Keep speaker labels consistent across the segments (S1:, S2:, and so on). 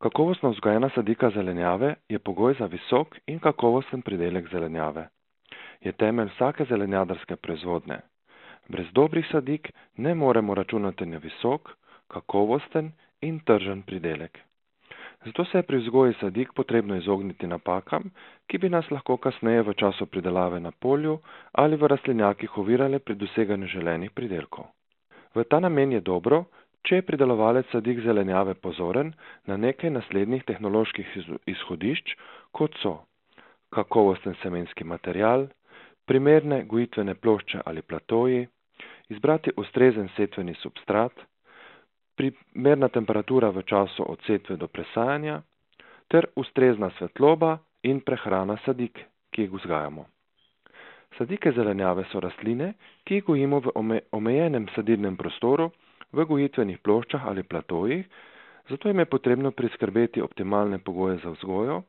S1: Kakovostno vzgojena sadika zelenjave je pogoj za visok in kakovosten pridelek zelenjave. Je temelj vsake zelenjadarske proizvodnje. Brez dobrih sadik ne moremo računati na visok, kakovosten in tržen pridelek. Zato se je pri vzgoji sadik potrebno izogniti napakam, ki bi nas lahko kasneje v času pridelave na polju ali v rastlinjakih ovirale pri doseganju želenih pridelkov. V ta namen je dobro, če je pridelovalec sadik zelenjave pozoren na nekaj naslednjih tehnoloških izhodišč, kot so kakovosten semenski material, primerne gojitvene plošče ali platoji, izbrati ustrezen setveni substrat, primerna temperatura v času od setve do presajanja ter ustrezna svetloba in prehrana sadik, ki jih vzgajamo. Sadike zelenjave so rastline, ki jih gojimo v omejenem sadilnem prostoru, v gojitvenih ploščah ali platojih, zato jim je potrebno priskrbeti optimalne pogoje za vzgojo.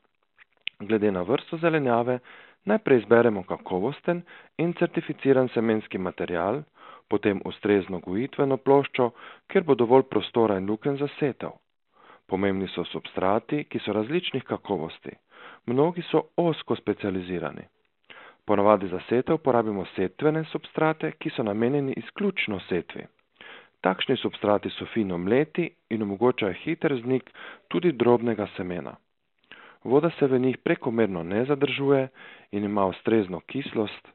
S1: Glede na vrsto zelenjave najprej izberemo kakovosten in certificiran semenski material, potem ustrezno gojitveno ploščo, kjer bo dovolj prostora in lukenj za setev. Pomembni so substrati, ki so različnih kakovosti. Mnogi so ozko specializirani. Ponavadi za setev porabimo setvene substrate, ki so namenjeni izključno setvi. Takšni substrati so fino mleti in omogočajo hiter vznik tudi drobnega semena. Voda se v njih prekomerno ne zadržuje in ima ustrezno kislost.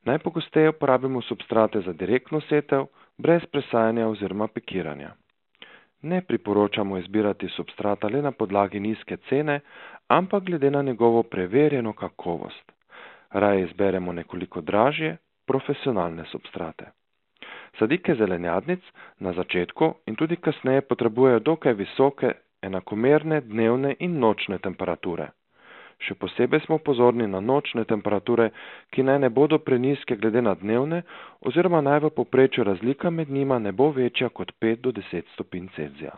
S1: Najpogosteje uporabimo substrate za direktno setev, brez presajanja oziroma pikiranja. Ne priporočamo izbirati substrata le na podlagi nizke cene, ampak glede na njegovo preverjeno kakovost. Raje izberemo nekoliko dražje, profesionalne substrate. Sadike zelenjadnic na začetku in tudi kasneje potrebujejo dokaj visoke, enakomerne dnevne in nočne temperature. Še posebej smo pozorni na nočne temperature, ki naj ne bodo prenizke glede na dnevne, oziroma naj v povprečju razlika med njima ne bo večja kot 5 do 10 stopinj Celzija.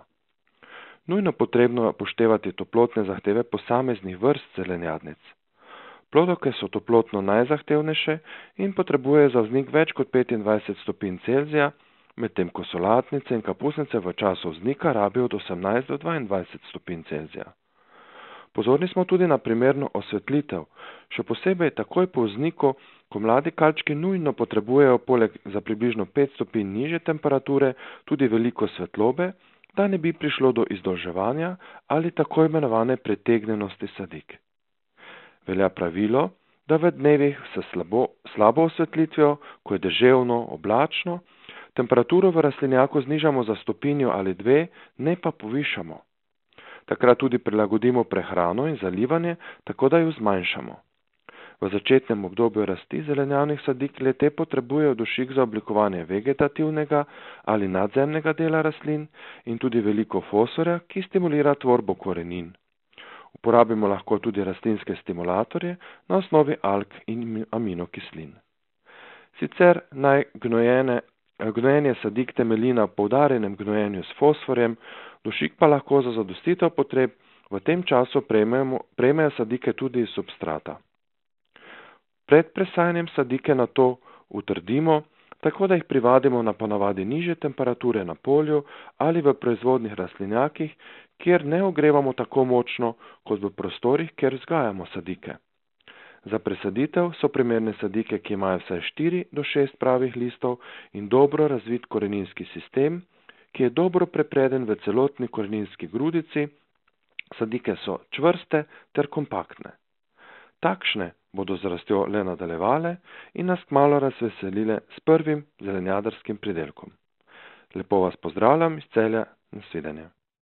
S1: Nujno potrebno je upoštevati toplotne zahteve posameznih vrst zelenjadnic. Plodovke so toplotno najzahtevnejše in potrebujejo za vznik več kot 25 stopinj Celzija, medtem ko solatnice in kapusnice v času vznika rabijo od 18 do 22 stopinj Celzija. Pozorni smo tudi na primerno osvetlitev, še posebej takoj po vzniku, ko mladi kalčki nujno potrebujejo poleg za približno 5 stopinj nižje temperature tudi veliko svetlobe, da ne bi prišlo do izdolževanja ali tako imenovane pretegnjenosti sadik. Velja pravilo, da v dnevih s slabo osvetlitvijo, ko je deževno, oblačno, temperaturo v rastlinjaku znižamo za stopinjo ali dve, ne pa povišamo. Takrat tudi prilagodimo prehrano in zalivanje, tako da jo zmanjšamo. V začetnem obdobju rasti zelenjavnih sadik le-te potrebujejo dušik za oblikovanje vegetativnega ali nadzemnega dela rastlin in tudi veliko fosforja, ki stimulira tvorbo korenin. Uporabimo lahko tudi rastlinske stimulatorje na osnovi alg in aminokislin. Sicer naj gnojenje sadik temelji na poudarjenem gnojenju s fosforjem, dušik pa lahko za zadostitev potreb v tem času prejmejo sadike tudi iz substrata. Pred presajanjem sadike nato utrdimo, tako da jih privadimo na ponavadi nižje temperature na polju ali v proizvodnih rastlinjakih, kjer ne ogrevamo tako močno kot v prostorih, kjer vzgajamo sadike. Za presaditev so primerne sadike, ki imajo vsaj 4 do 6 pravih listov in dobro razvit koreninski sistem, ki je dobro prepreden v celotni koreninski grudici. Sadike so čvrste ter kompaktne. Takšne bodo z rastjo le nadaljevale in nas kmalu razveselile s prvim zelenjadarskim pridelkom. Lepo vas pozdravljam iz Celja, nasvidenje.